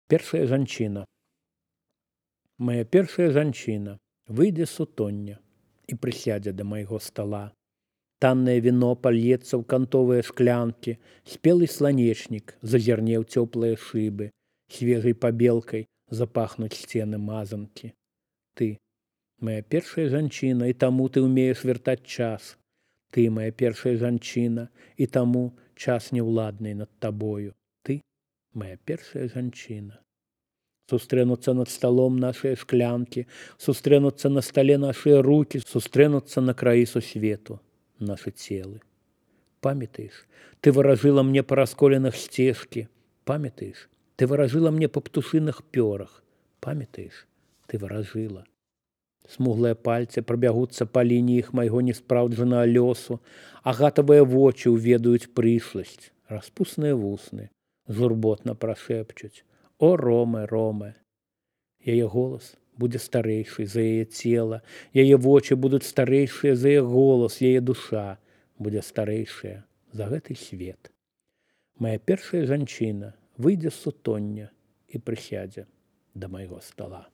Першая жанчына. Мая першая жанчына выйдзе з сутоння і прысядзе да майго стала. Таннае віно пальецца ў кантовыя шклянкі, спелы сланечнік зазірне ў цёплыя шыбы, свежай пабелкай запахнуць сцены мазанкі. Ты, моя першая жанчына, і таму ты ўмееш вяртаць час. Ты, моя першая жанчына, і таму час неўладны над табою. Ты, моя першая жанчына. Сустрэнуцца над сталом нашыя шклянкі, сустрэнуцца на стале нашыя рукі, сустрэнуцца на краі сусвету нашы целы. Памятаеш, ты варажыла мне па расколеных сцежкі. Памятаеш, ты варажыла мне па птушыных пёрах. Памятаеш, ты варажыла. Смуглыя пальцы прабягуцца па лініях майго неспраўджанага лёсу, агатавыя вочы ўведаюць прышласць, распусныя вусны журботна прашэпчуць: «О, Роме, Роме!» Яе голас будзе старэйшы за яе цела, яе вочы будуць старэйшыя за яе голас, яе душа будзе старэйшая за гэты свет. Мая першая жанчына выйдзе з сутоння і прысядзе да майго стала.